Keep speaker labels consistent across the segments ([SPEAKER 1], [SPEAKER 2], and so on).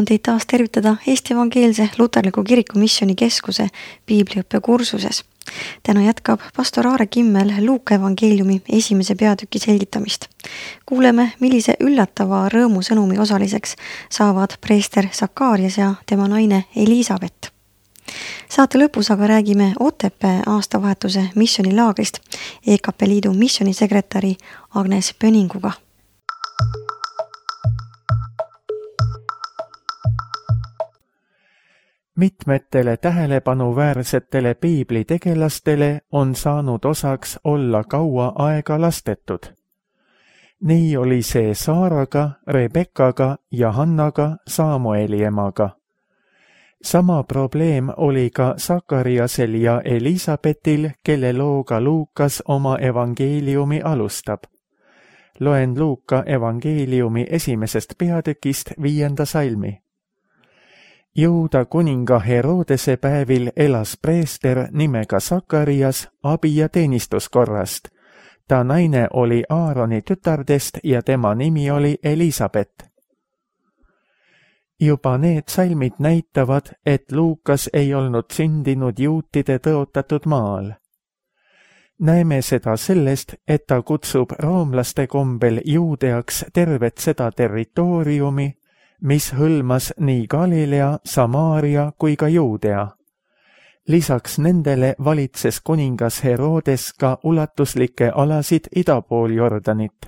[SPEAKER 1] on teid taas tervitada Eesti Evangeelse Luterliku Kiriku Missioonikeskuse piibliõppe kursuses. Täna jätkab pastor Aare Kimmel Luuka evangeeliumi 1. peatüki selgitamist. Kuuleme, millise üllatava rõõmusõnumi osaliseks saavad preester Sakarias ja tema naine Elisabeth. Saate lõpus aga räägime Otepää aastavahetuse missioonilaagrist EKP Liidu missioonisekretäri Agnes Pöninguga.
[SPEAKER 2] Mitmetele tähelepanuväärsetele piiblitegelastele on saanud osaks olla kaua aega lastetud. Nii oli see Saaraga, Rebekaga ja Hannaga, Samueli emaga. Sama probleem oli ka Sakariasel ja Elisabetil, kelle looga Luukas oma evangeeliumi alustab. Loen Luuka evangeeliumi 1. peatükist 5. salmi. Juuda kuninga Herodese päevil elas preester nimega Sakarias abi- ja teenistuskorrast. Ta naine oli Aaroni tütardest ja tema nimi oli Elisabeth. Juba need salmid näitavad, et Luukas ei olnud sündinud juutide tõotatud maal. Näeme seda sellest, et ta kutsub roomlaste kombel Juudeaks tervet seda territooriumi, mis hõlmas nii Galilea, Samaaria kui ka Juudea. Lisaks nendele valitses kuningas Herodes ka ulatuslikke alasid idapool Jordanit.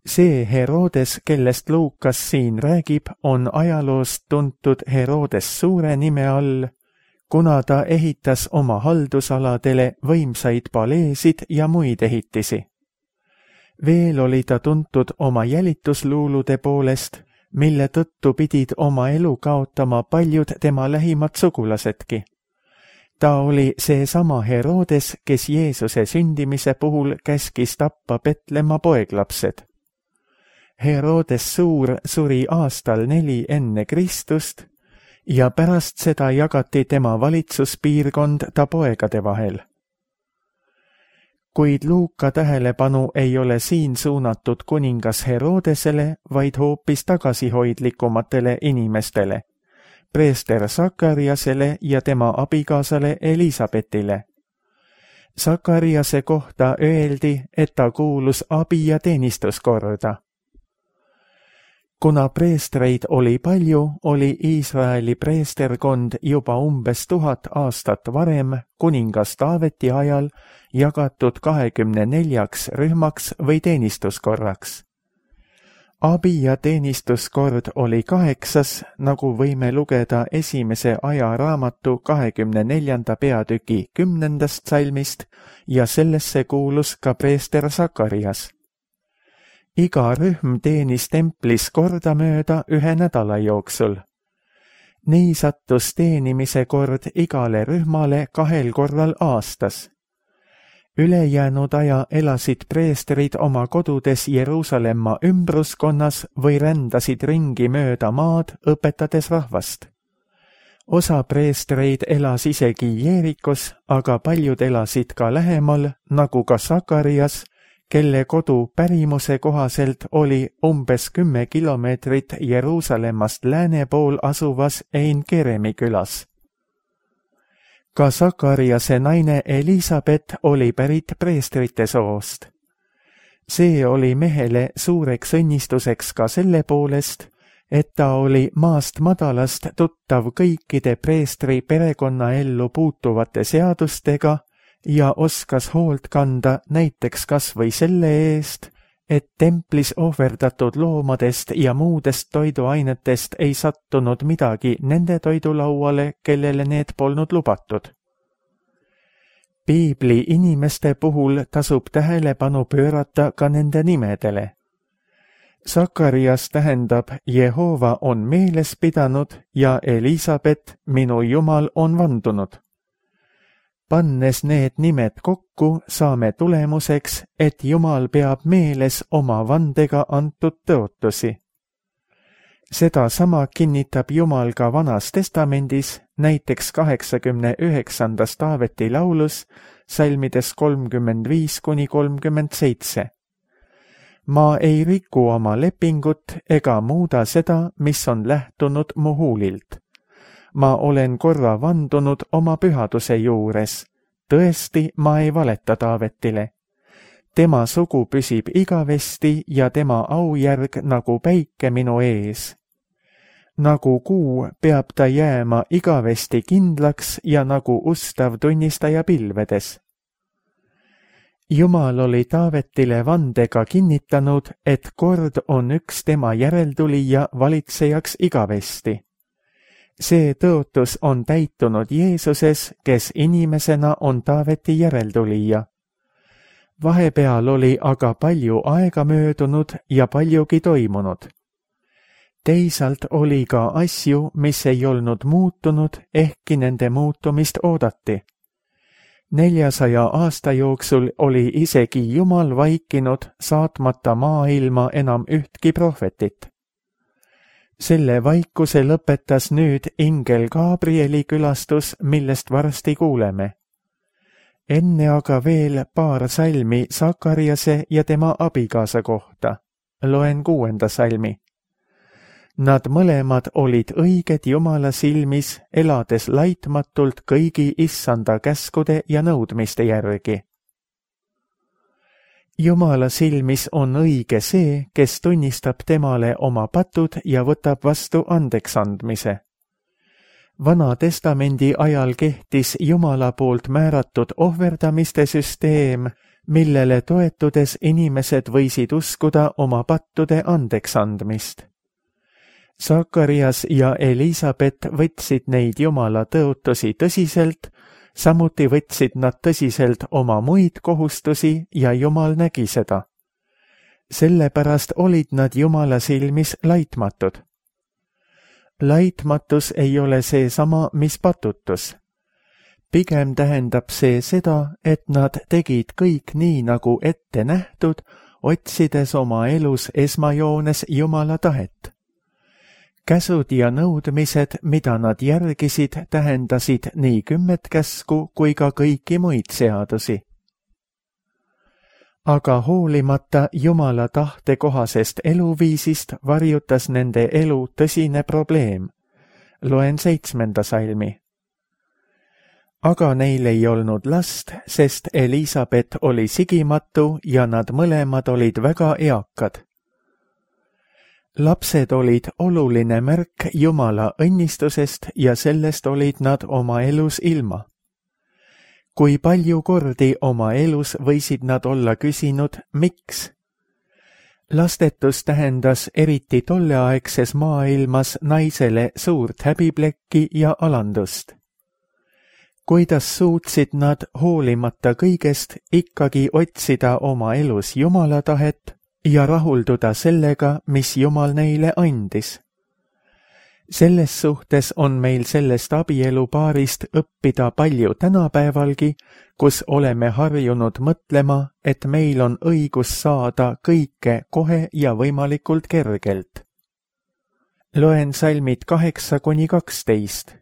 [SPEAKER 2] See Herodes, kellest Luukas siin räägib, on ajaloost tuntud Herodes suure nime all, kuna ta ehitas oma haldusaladele võimsaid paleesid ja muid ehitisi. Veel oli ta tuntud oma jälitusluulude poolest, mille tõttu pidid oma elu kaotama paljud tema lähimad sugulasedki. Ta oli seesama Herodes, kes Jeesuse sündimise puhul käskis tappa Betlemma poeglapsed. Herodes Suur suri aastal 4 enne Kristust ja pärast seda jagati tema valitsuspiirkond ta poegade vahel. Kuid Luuka tähelepanu ei ole siin suunatud kuningas Herodesele, vaid hoopis tagasihoidlikumatele inimestele, preester Sakariasele ja tema abikaasale Elisabetile. Sakariase kohta öeldi, et ta kuulus abi- ja teenistuskorda. Kuna preestreid oli palju, oli Iisraeli preesterkond juba umbes 1000 aastat varem, kuningas Taaveti ajal, jagatud 24 rühmaks või teenistuskorraks. Abi- ja teenistuskord oli 8, nagu võime lugeda 1. ajaraamatu 24. peatüki 10. salmist ja sellesse kuulus ka preester Sakarias. Iga rühm teenis templis kordamööda 1 nädala jooksul. Nii sattus teenimise kord igale rühmale 2 korral aastas. Ülejäänud aja elasid preestrid oma kodudes Jeruusalemma ümbruskonnas või rändasid ringi mööda maad, õpetades rahvast. Osa preestreid elas isegi Jeerikos, aga paljud elasid ka lähemal, nagu ka Sakarias, kelle kodu pärimuse kohaselt oli umbes 10 kilomeetrit Jeruusalemmast lääne pool asuvas Ein-Keremi külas. Ka Sakariase naine Elisabeth oli pärit preestrite soost. See oli mehele suureks õnnistuseks ka selle poolest, et ta oli maast madalast tuttav kõikide preestri perekonnaellu puutuvate seadustega ja oskas hoolt kanda näiteks kas või selle eest, et templis ohverdatud loomadest ja muudest toiduainetest ei sattunud midagi nende toidulauale, kellele need polnud lubatud. Piibli inimeste puhul tasub tähelepanu pöörata ka nende nimedele. Sakarias tähendab Jehova on meeles pidanud ja Elisabeth, minu Jumal, on vandunud. Pannes need nimed kokku, saame tulemuseks, et Jumal peab meeles oma vandega antud tõotusi. Seda sama kinnitab Jumal ka Vanas Testamendis, näiteks 89. Taaveti laulus, salmides 35–37. Ma ei riku oma lepingut ega muuda seda, mis on lähtunud mu huulilt. Ma olen korra vandunud oma pühaduse juures. Tõesti, ma ei valeta Taavetile. Tema sugu püsib igavesti ja tema aujärg nagu päike minu ees. Nagu kuu peab ta jääma igavesti kindlaks ja nagu ustav tunnistaja pilvedes. Jumal oli Taavetile vandega kinnitanud, et kord on üks tema järeltulija valitsejaks igavesti. See tõotus on täitunud Jeesuses, kes inimesena on Taaveti järeltulija. Vahepeal oli aga palju aega möödunud ja paljugi toimunud. Teisalt oli ka asju, mis ei olnud muutunud, ehkki nende muutumist oodati. 400 aasta jooksul oli isegi Jumal vaikinud, saatmata maailma enam ühtki prohvetit. Selle vaikuse lõpetas nüüd ingel Gabrieli külastus, millest varsti kuuleme. Enne aga veel paar salmi Sakariase ja tema abikaasa kohta. Loen 6. salmi. Nad mõlemad olid õiged Jumala silmis, elades laitmatult kõigi issanda käskude ja nõudmiste järgi. Jumala silmis on õige see, kes tunnistab temale oma patud ja võtab vastu andeksandmise. Vana testamendi ajal kehtis Jumala poolt määratud ohverdamiste süsteem, millele toetudes inimesed võisid uskuda oma pattude andeksandmist. Sakarias ja Elisabet võtsid neid Jumala tõotusi tõsiselt, samuti võtsid nad tõsiselt oma muid kohustusi ja Jumal nägi seda. Sellepärast olid nad Jumala silmis laitmatud. Laitmatus ei ole seesama, mis patutus. Pigem tähendab see seda, et nad tegid kõik nii nagu ette nähtud, otsides oma elus esmajoones Jumala tahet. Käsud ja nõudmised, mida nad järgisid, tähendasid nii 10 käsku kui ka kõiki muid seadusi. Aga hoolimata Jumala tahte kohasest eluviisist varjutas nende elu tõsine probleem. Loen 7. salmi. Aga neil ei olnud last, sest Elisabet oli sigimatu ja nad mõlemad olid väga eakad. Lapsed olid oluline märk Jumala õnnistusest ja sellest olid nad oma elus ilma. Kui palju kordi oma elus võisid nad olla küsinud, miks? Lastetus tähendas eriti tolleaegses maailmas naisele suurt häbiplekki ja alandust. Kuidas suutsid nad hoolimata kõigest ikkagi otsida oma elus Jumala tahet ja rahulduda sellega, mis Jumal neile andis? Selles suhtes on meil sellest abielupaarist õppida palju tänapäevalgi, kus oleme harjunud mõtlema, et meil on õigus saada kõike kohe ja võimalikult kergelt. Loen salmid 8-12.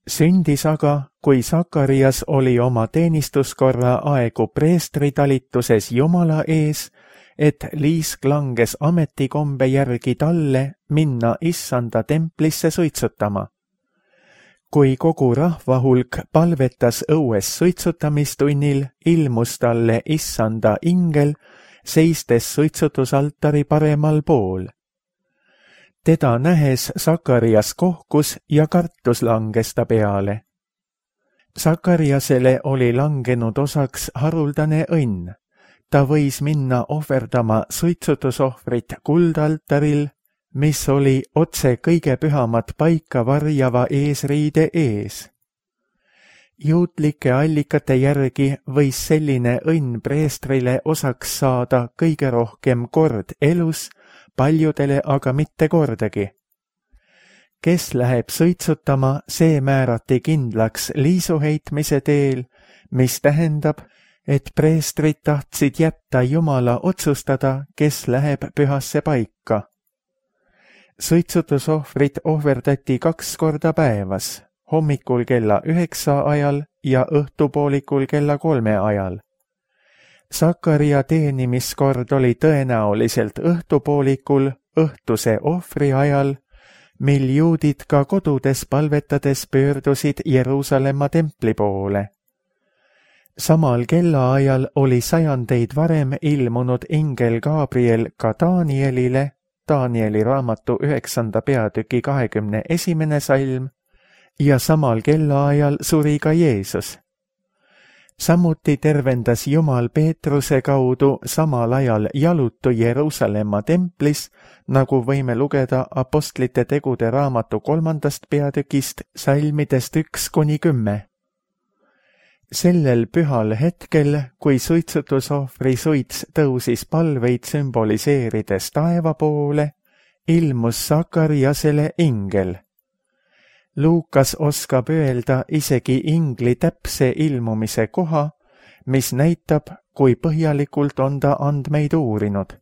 [SPEAKER 2] Sündis aga, kui Sakarias oli oma teenistuskorra aegu preestritalituses Jumala ees, et liisk langes ametikombe järgi talle minna issanda templisse suitsutama. Kui kogu rahvahulk palvetas õues suitsutamistunnil, ilmus talle issanda ingel, seistes suitsutusaltari paremal pool. Teda nähes Sakarias kohkus ja kartus langes ta peale. Sakariasele oli langenud osaks haruldane õnn. Ta võis minna ohverdama suitsutusohvrit kuldaltaril, mis oli otse kõige pühamat paika varjava eesriide ees. Juutlike allikate järgi võis selline õnn preestrile osaks saada kõige rohkem kord elus, paljudele aga mitte kordagi. Kes läheb suitsutama, see määrati kindlaks liisuheitmise teel, mis tähendab, et preestrid tahtsid jätta Jumala otsustada, kes läheb pühasse paika. Suitsutusohvrit ohverdati 2 korda päevas, hommikul kella 9 ajal ja õhtupoolikul kella 3 ajal. Sakaria teenimiskord oli tõenäoliselt õhtupoolikul õhtuse ohvri ajal, mil juudid ka kodudes palvetades pöördusid Jeruusalemma templi poole. Samal kellaajal oli sajandeid varem ilmunud ingel Gabriel ka Danielile, Danieli raamatu 9. peatüki 21. salm, ja samal kellaajal suri ka Jeesus. Samuti tervendas Jumal Peetruse kaudu samal ajal jalutu Jeruusalemma templis, nagu võime lugeda Apostlite tegude raamatu 3. peatükist salmidest 1–10. Sellel pühal hetkel, kui suitsutusohvri suits tõusis palveid sümboliseerides taeva poole, ilmus Sakariasele ingel. Luukas oskab öelda isegi ingli täpse ilmumise koha, mis näitab, kui põhjalikult on ta andmeid uurinud.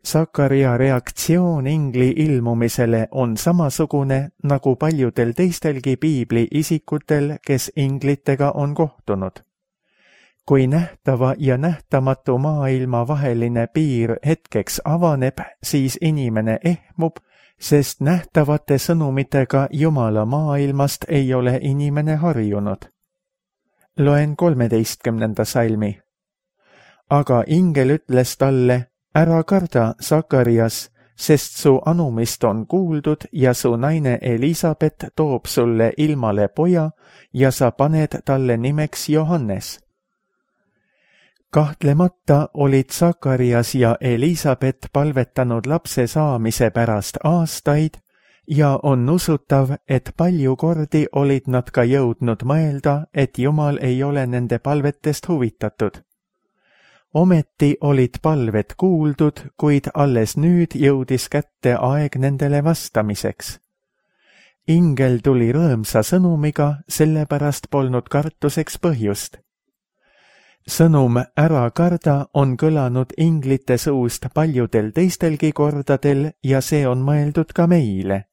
[SPEAKER 2] Sakaria reaktsioon ingli ilmumisele on samasugune nagu paljudel teistelgi piibli isikutel, kes inglitega on kohtunud. Kui nähtava ja nähtamatu maailma vaheline piir hetkeks avaneb, siis inimene ehmub, sest nähtavate sõnumitega Jumala maailmast ei ole inimene harjunud. Loen 13. salmi. Aga ingel ütles talle, ära karda, Sakarias, sest su anumist on kuuldud ja su naine Elisabet toob sulle ilmale poja ja sa paned talle nimeks Johannes. Kahtlemata olid Sakarias ja Elisabet palvetanud lapse saamise pärast aastaid ja on usutav, et palju kordi olid nad ka jõudnud mõelda, et Jumal ei ole nende palvetest huvitatud. Ometi olid palved kuuldud, kuid alles nüüd jõudis kätte aeg nendele vastamiseks. Ingel tuli rõõmsa sõnumiga, sellepärast polnud kartuseks põhjust. Sõnum ära karda on kõlanud inglite suust paljudel teistelgi kordadel ja see on mõeldud ka meile.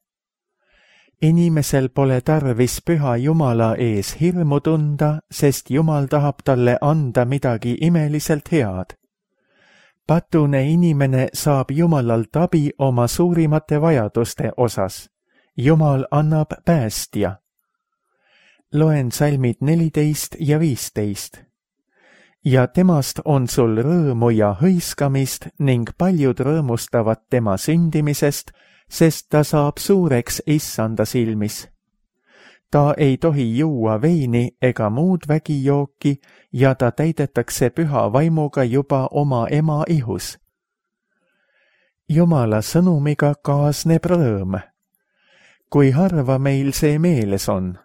[SPEAKER 2] Inimesel pole tarvis püha Jumala ees hirmu tunda, sest Jumal tahab talle anda midagi imeliselt head. Patune inimene saab Jumalalt abi oma suurimate vajaduste osas. Jumal annab päästja. Loen salmid 14 ja 15. Ja temast on sul rõõmu ja hõiskamist ning paljud rõõmustavad tema sündimisest, sest ta saab suureks Issanda silmis. Ta ei tohi juua veini ega muud vägijooki ja ta täidetakse püha vaimuga juba oma ema ihus. Jumala sõnumiga kaasneb rõõm. Kui harva meil see meeles on.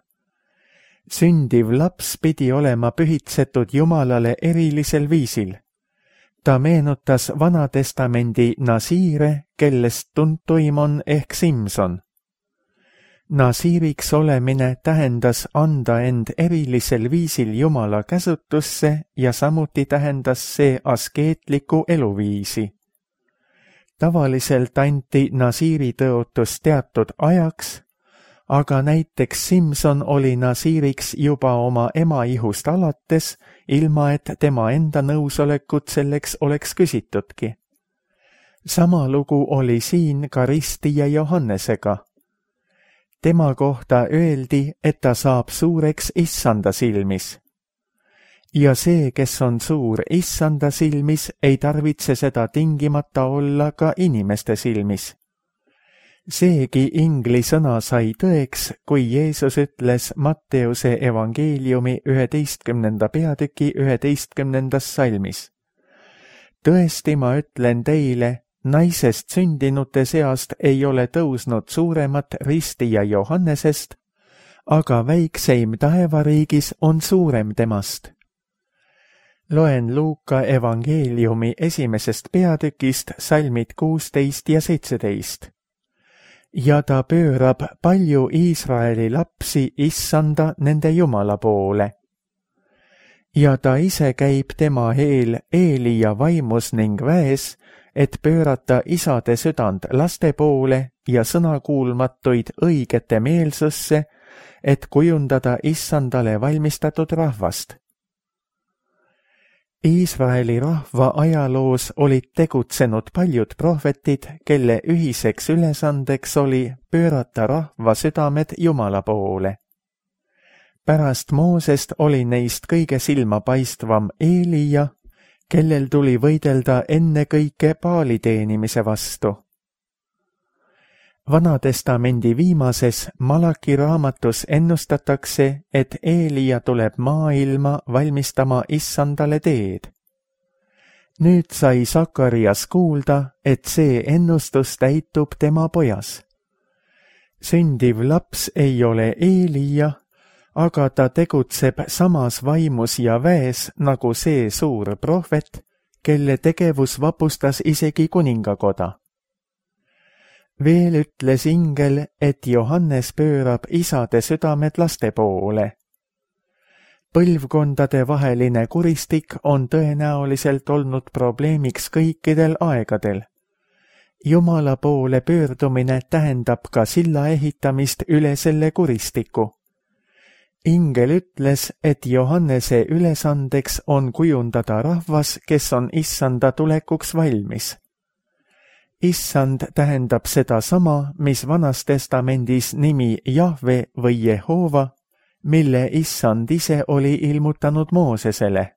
[SPEAKER 2] Sündiv laps pidi olema pühitsetud Jumalale erilisel viisil. Ta meenutas Vanatestamendi nasiire, kellest tuntuim on ehk Simson. Nasiiriks olemine tähendas anda end erilisel viisil Jumala käsutusse ja samuti tähendas see askeetlikku eluviisi. Tavaliselt anti nasiiri tõotus teatud ajaks, aga näiteks Simson oli nasiiriks juba oma ema ihust alates, ilma et tema enda nõusolekut selleks oleks küsitudki. Sama lugu oli siin ka ristija Johannesega. Tema kohta öeldi, et ta saab suureks Issanda silmis. Ja see, kes on suur Issanda silmis, ei tarvitse seda tingimata olla ka inimeste silmis. Seegi ingli sõna sai tõeks, kui Jeesus ütles Matteuse evangeeliumi 11. peatüki 11. salmis. Tõesti, ma ütlen teile, naisest sündinute seast ei ole tõusnud suuremat ristija Johannesest, aga väikseim taevariigis on suurem temast. Loen Luuka evangeeliumi 1. peatükist salmid 16 ja 17. Ja ta pöörab palju Iisraeli lapsi Issanda nende Jumala poole. Ja ta ise käib tema eel Eelia vaimus ning väes, et pöörata isade südant laste poole ja sõnakuulmatuid õigete meelsusse, et kujundada Issandale valmistatud rahvast. Iisraeli rahva ajaloos olid tegutsenud paljud prohvetid, kelle ühiseks ülesandeks oli pöörata rahva südamed Jumala poole. Pärast Moosest oli neist kõige silmapaistvam Eelija, kellel tuli võidelda ennekõike Baali teenimise vastu. Vanatestamendi viimases Malaki raamatus ennustatakse, et Eelija tuleb maailma valmistama issandale teed. Nüüd sai Sakarias kuulda, et see ennustus täitub tema pojas. Sündiv laps ei ole Eelija, aga ta tegutseb samas vaimus ja väes nagu see suur prohvet, kelle tegevus vapustas isegi kuningakoda. Veel ütles ingel, et Johannes pöörab isade südamed laste poole. Põlvkondade vaheline kuristik on tõenäoliselt olnud probleemiks kõikidel aegadel. Jumala poole pöördumine tähendab ka silla ehitamist üle selle kuristiku. Ingel ütles, et Johannese ülesandeks on kujundada rahvas, kes on issanda tulekuks valmis. Issand tähendab seda sama, mis Vanas Testamendis nimi Jahve või Jehova, mille issand ise oli ilmutanud Moosesele.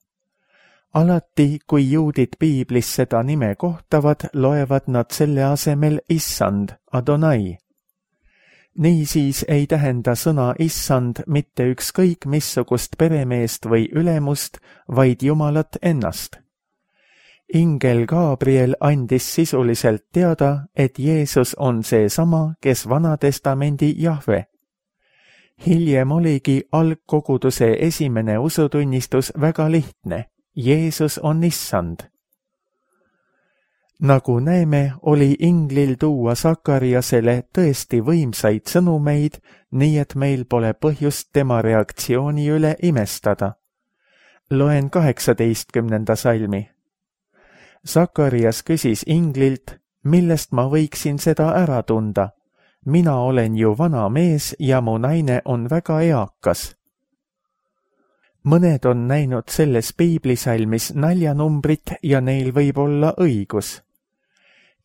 [SPEAKER 2] Alati, kui juudid piiblis seda nime kohtavad, loevad nad selle asemel issand, Adonai. Niisiis ei tähenda sõna issand mitte ükskõik missugust peremeest või ülemust, vaid Jumalat ennast. Ingel Gabriel andis sisuliselt teada, et Jeesus on seesama, kes Vanatestamendi Jahve. Hiljem oligi algkoguduse esimene usutunnistus väga lihtne. Jeesus on issand. Nagu näeme, oli inglil tuua Sakariasele tõesti võimsaid sõnumeid, nii et meil pole põhjust tema reaktsiooni üle imestada. Loen 18. salmi. Sakarias küsis inglilt, millest ma võiksin seda ära tunda. Mina olen ju vana mees ja mu naine on väga eakas. Mõned on näinud selles piiblisalmis naljanumbrit ja neil võib olla õigus.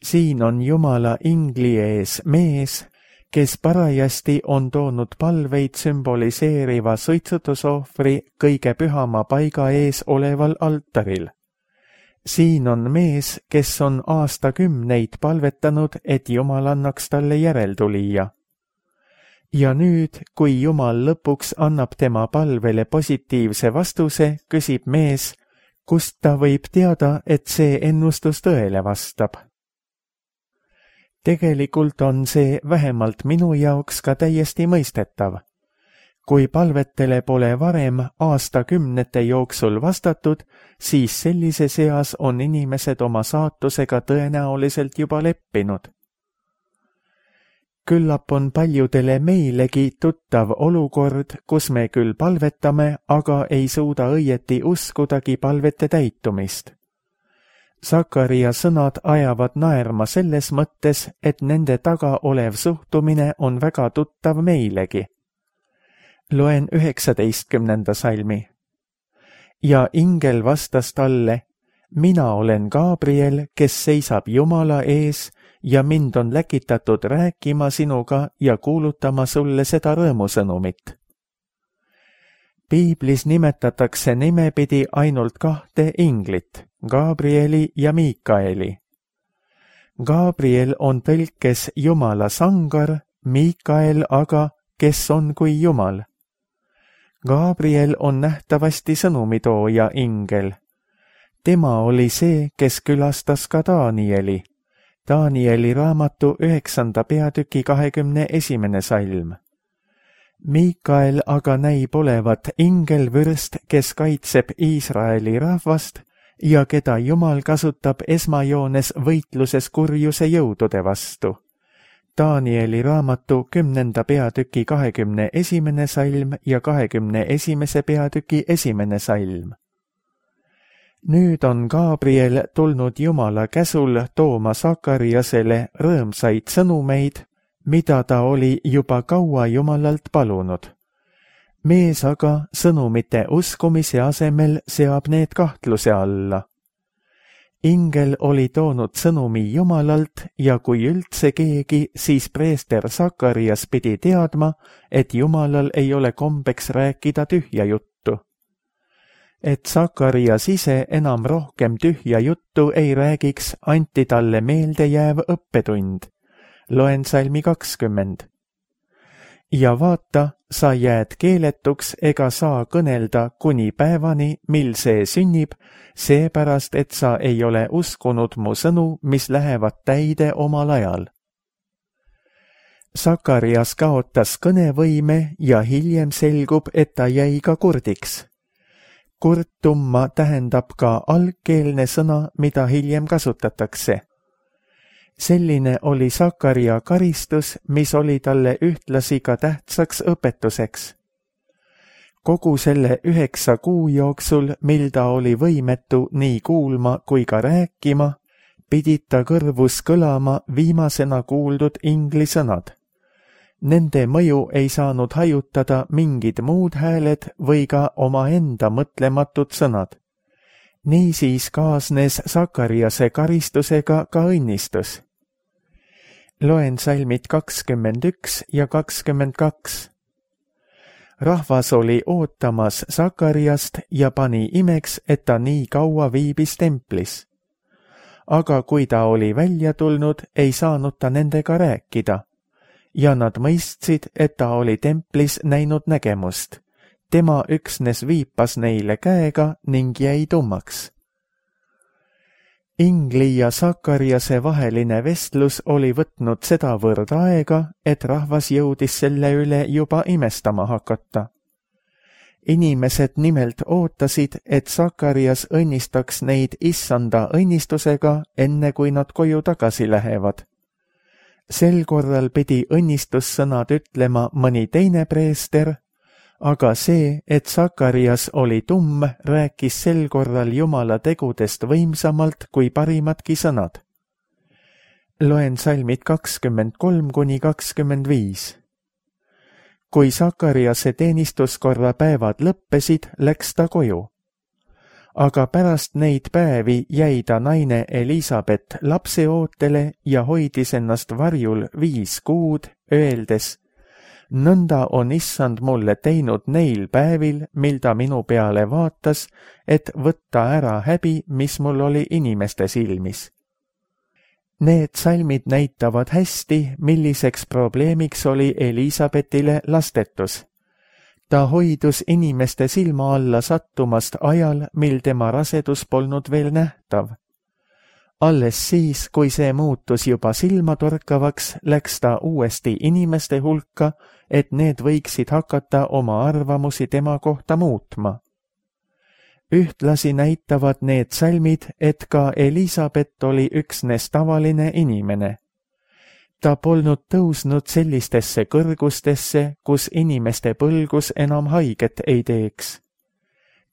[SPEAKER 2] Siin on Jumala ingli ees mees, kes parajasti on toonud palveid sümboliseeriva suitsutusohvri kõige pühama paiga ees oleval altaril. Siin on mees, kes on aastakümneid palvetanud, et Jumal annaks talle järeltulija. Ja nüüd, kui Jumal lõpuks annab tema palvele positiivse vastuse, küsib mees, kust ta võib teada, et see ennustus tõele vastab. Tegelikult on see vähemalt minu jaoks ka täiesti mõistetav. Kui palvetele pole varem aastakümnete jooksul vastatud, siis sellise seas on inimesed oma saatusega tõenäoliselt juba leppinud. Küllap on paljudele meilegi tuttav olukord, kus me küll palvetame, aga ei suuda õieti uskudagi palvete täitumist. Sakaria sõnad ajavad naerma selles mõttes, et nende taga olev suhtumine on väga tuttav meilegi. Loen 19. salmi. Ja ingel vastas talle, mina olen Gabriel, kes seisab Jumala ees ja mind on läkitatud rääkima sinuga ja kuulutama sulle seda rõõmusõnumit. Piiblis nimetatakse nimepidi ainult kahte inglit, Gabrieli ja Miikaeli. Gabriel on tõlkes Jumala sangar, Miikael aga, kes on kui Jumal. Gabriel on nähtavasti sõnumitooja ingel. Tema oli see, kes külastas ka Danieli. Danieli raamatu 9. peatüki 21. salm. Miikael aga näib olevat ingelvürst, kes kaitseb Iisraeli rahvast ja keda Jumal kasutab esmajoones võitluses kurjuse jõudude vastu. Danieli raamatu 10. peatüki 21. salm ja 21. peatüki 1. salm. Nüüd on Gabriel tulnud Jumala käsul tooma Sakariasele rõõmsaid sõnumeid, mida ta oli juba kaua Jumalalt palunud. mees aga sõnumite uskumise asemel seab need kahtluse alla. Ingel oli toonud sõnumi Jumalalt ja kui üldse keegi, siis preester Sakarias pidi teadma, et Jumalal ei ole kombeks rääkida tühja juttu. Et Sakarias ise enam rohkem tühja juttu ei räägiks, anti talle meeldejääv õppetund. Loen salmi 20. Ja vaata, sa jääd keeletuks ega saa kõnelda kuni päevani, mil see sünnib, seepärast, et sa ei ole uskunud mu sõnu, mis lähevad täide omal ajal. Sakarias kaotas kõnevõime ja hiljem selgub, et ta jäi ka kurdiks. Kurtumma tähendab ka algkeelne sõna, mida hiljem kasutatakse. Selline oli Sakaria karistus, mis oli talle ühtlasi ka tähtsaks õpetuseks. Kogu selle 9 kuu jooksul, mil ta oli võimetu nii kuulma kui ka rääkima, pidid ta kõrvus kõlama viimasena kuuldud inglisõnad. Nende mõju ei saanud hajutada mingid muud hääled või ka omaenda mõtlematud sõnad. Niisiis kaasnes Sakariase karistusega ka õnnistus. Loen salmid 21 ja 22. Rahvas oli ootamas Sakariast ja pani imeks, et ta nii kaua viibis templis. Aga kui ta oli välja tulnud, ei saanud ta nendega rääkida. Ja nad mõistsid, et ta oli templis näinud nägemust. Tema üksnes viipas neile käega ning jäi tummaks. Ingli ja Sakariase vaheline vestlus oli võtnud sedavõrd aega, et rahvas jõudis selle üle juba imestama hakata. Inimesed nimelt ootasid, et Sakarias õnnistaks neid issanda õnnistusega, enne kui nad koju tagasi lähevad. Sel korral pidi õnnistussõnad ütlema mõni teine preester, aga see, et Sakarias oli tumm, rääkis sel korral Jumala tegudest võimsamalt kui parimadki sõnad. Loen salmid 23–25. Kui Sakariase teenistuskorra päevad lõppesid, läks ta koju. Aga pärast neid päevi jäi ta naine Elisabet lapseootele ja hoidis ennast varjul 5 kuud, öeldes: nõnda on issand mulle teinud neil päevil, mil ta minu peale vaatas, et võtta ära häbi, mis mul oli inimeste silmis. Need salmid näitavad hästi, milliseks probleemiks oli Elisabetile lastetus. Ta hoidus inimeste silma alla sattumast ajal, mil tema rasedus polnud veel nähtav. Alles siis, kui see muutus juba silmatorkavaks, läks ta uuesti inimeste hulka, et need võiksid hakata oma arvamusi tema kohta muutma. Ühtlasi näitavad need salmid, et ka Elisabet oli üksnes tavaline inimene. Ta polnud tõusnud sellistesse kõrgustesse, kus inimeste põlgus enam haiget ei teeks.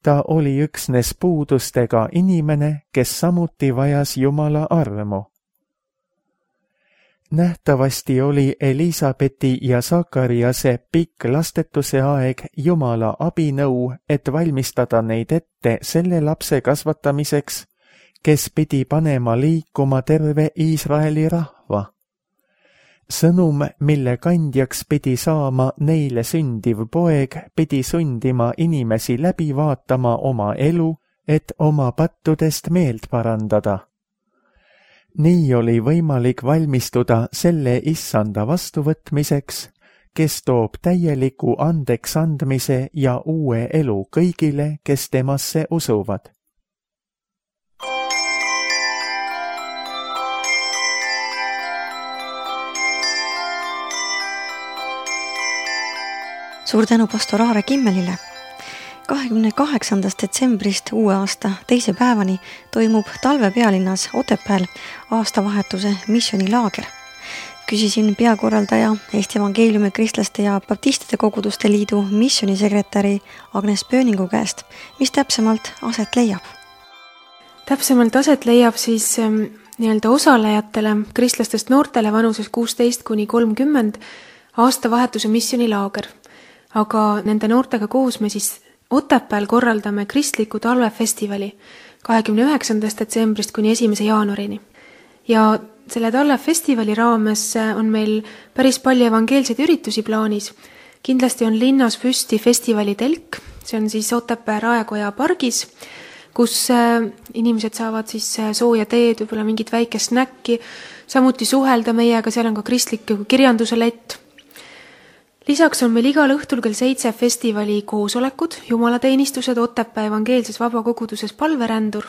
[SPEAKER 2] Ta oli üksnes puudustega inimene, kes samuti vajas Jumala armu. Nähtavasti oli Elisabeti ja Sakariase pikk lastetuse aeg Jumala abinõu, et valmistada neid ette selle lapse kasvatamiseks, kes pidi panema liikuma terve Iisraeli rahva. Sõnum, mille kandjaks pidi saama neile sündiv poeg, pidi sundima inimesi läbi vaatama oma elu, et oma pattudest meelt parandada. Nii oli võimalik valmistuda selle issanda vastuvõtmiseks, kes toob täieliku andeks andmise ja uue elu kõigile, kes temasse usuvad.
[SPEAKER 1] Suur tänu pastor Aare Kimmelile. 28. detsembrist uue aasta teise päevani toimub talvepealinnas Otepääl aastavahetuse missionilaager. Küsisin peakorraldaja Eesti Evangeeliumi Kristlaste ja Baptistide Koguduste Liidu missionisekretäri Agnes Pööningu käest, mis täpsemalt aset leiab.
[SPEAKER 3] Täpsemalt aset leiab siis osalejatele, kristlastest noortele vanuses 16–30 aastavahetuse missionilaager. aga nende noortega koos me siis Otepääl korraldame kristliku talvefestivali 29. detsembrist kuni 1. jaanuarini. Ja selle talvefestivali raames on meil päris palju evangeelseid üritusi plaanis. Kindlasti on linnas püsti festivali telk, see on siis Otepää Raekoja pargis, kus inimesed saavad siis sooja teed, võib-olla mingit väikest snäkki, samuti suhelda meiega, seal on ka kristlik kirjanduse lett. Lisaks on meil igal õhtul kell 7 festivali koosolekud, jumalateenistused Otepää evangeelses vabakoguduses Palverändur.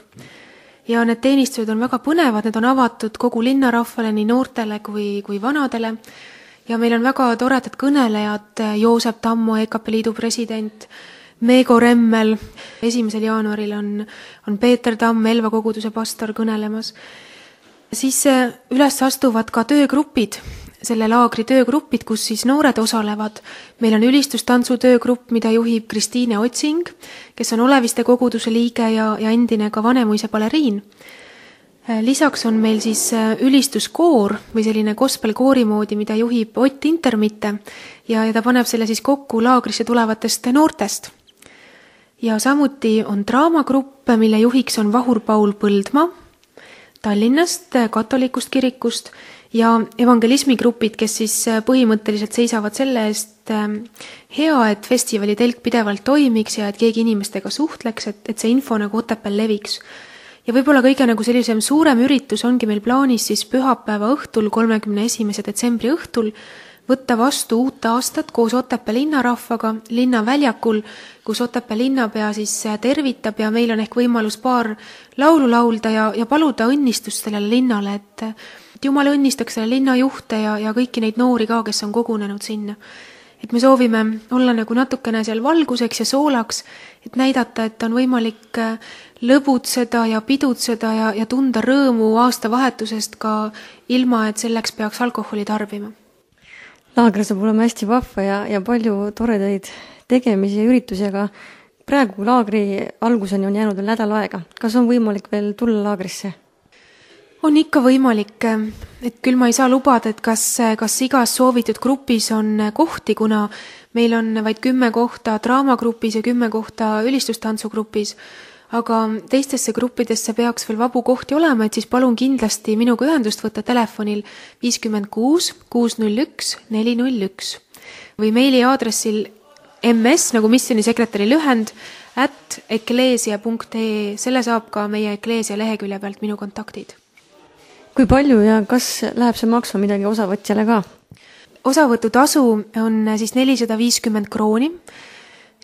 [SPEAKER 3] Ja need teenistused on väga põnevad, need on avatud kogu linnarahvale, nii noortele kui vanadele. Ja meil on väga toredad kõnelejad, Joosep Tammo, EKP Liidu president, Meego Remmel, 1. jaanuaril on Peeter Tamm, Elva koguduse pastor kõnelemas. Siis üles astuvad ka töögrupid, selle laagri töögrupid, kus siis noored osalevad. Meil on ülistustantsu töögrupp, mida juhib Kristiine Otsing, kes on Oleviste koguduse liige ja endine ka Vanemuise baleriin. Lisaks on meil siis ülistuskoor või selline gospelkoori moodi, mida juhib Ott Intermitte ja ta paneb selle siis kokku laagrisse tulevatest noortest. Ja samuti on draamagrupp, mille juhiks on Vahur Paul Põldmaa Tallinnast, katolikust kirikust ja evangelismigrupid, kes siis põhimõtteliselt seisavad selle eest hea, et festivali telk pidevalt toimiks ja et keegi inimestega suhtleks, et see info nagu Otepääl leviks. Ja võib-olla kõige nagu sellisem suurem üritus ongi meil plaanis siis pühapäeva õhtul, 31. detsembri õhtul, võtta vastu uut aastat koos Otepää linnarahvaga linnaväljakul, kus Otepää linnapea siis tervitab ja meil on ehk võimalus paar laulu laulda ja paluda õnnistust sellele linnale, et Jumal õnnistaks selle linna juhte ja kõiki neid noori ka, kes on kogunenud sinna. Et me soovime olla nagu natukene seal valguseks ja soolaks, et näidata, et on võimalik lõbutseda ja pidutseda ja tunda rõõmu aastavahetusest ka ilma, et selleks peaks alkoholi tarbima.
[SPEAKER 1] Laager saab olema hästi vahva ja palju toredaid tegemisi ja üritusi, aga praegu laagri alguseni on jäänud veel nädal aega. Kas on võimalik veel tulla laagrisse?
[SPEAKER 3] On ikka võimalik, et küll ma ei saa lubada, et kas igas soovitud grupis on kohti, kuna meil on vaid 10 kohta draamagrupis ja 10 kohta ülistustantsugrupis, aga teistesse gruppidesse peaks veel vabu kohti olema, et siis palun kindlasti minuga ühendust võtta telefonil 56 601 401 või meili aadressil ms, nagu missionisekretäri lühend, @eklesia.ee, selle saab ka meie Ekleesia lehekülje pealt minu kontaktid.
[SPEAKER 1] Kui palju ja kas läheb see maksma midagi osavõtjale ka?
[SPEAKER 3] Osavõtutasu on siis 450 krooni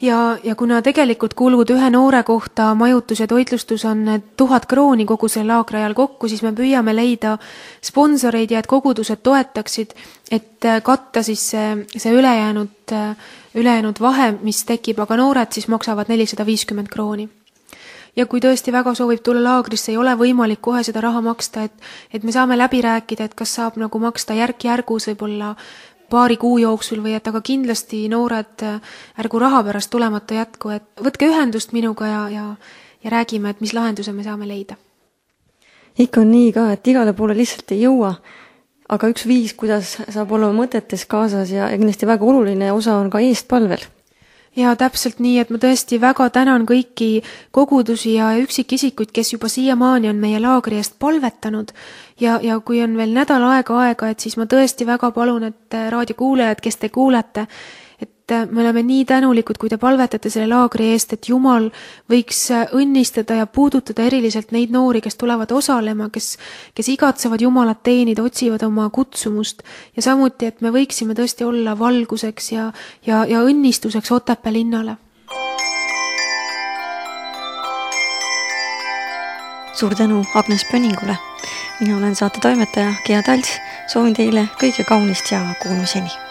[SPEAKER 3] ja kuna tegelikult kulud ühe noore kohta majutus ja toitlustus on 1000 krooni kogu selle laagri ajal kokku, siis me püüame leida sponsoreid ja et kogudused toetaksid, et katta siis see ülejäänud vahe, mis tekib, aga noored siis maksavad 450 krooni. Ja kui tõesti väga soovib tulla laagrisse, ei ole võimalik kohe seda raha maksta, et me saame läbi rääkida, et kas saab nagu maksta järk-järgus võib-olla paari kuu jooksul või et aga kindlasti noored ärgu raha pärast tulemata jätku, et võtke ühendust minuga ja räägime, et mis lahenduse me saame leida.
[SPEAKER 1] Ikka on nii ka, et igale poole lihtsalt ei jõua, aga üks viis, kuidas saab olema mõtetes kaasas ja kindlasti väga oluline osa on ka eestpalvel.
[SPEAKER 3] Ja täpselt nii, et ma tõesti väga tänan kõiki kogudusi ja üksikisikuid, kes juba siiamaani on meie laagri eest palvetanud ja kui on veel nädal aega, et siis ma tõesti väga palun, et raadiokuulajad, kes te kuulete, et me oleme nii tänulikud, kui te palvetate selle laagri eest, et Jumal võiks õnnistada ja puudutada eriliselt neid noori, kes tulevad osalema, kes igatsevad Jumalat teenida, otsivad oma kutsumust ja samuti, et me võiksime tõesti olla valguseks ja õnnistuseks Otepää linnale.
[SPEAKER 1] Suur tänu Agnes Pönningule. Mina olen saate toimetaja Gea Talts. Soovin teile kõige kaunist ja kuulmiseni.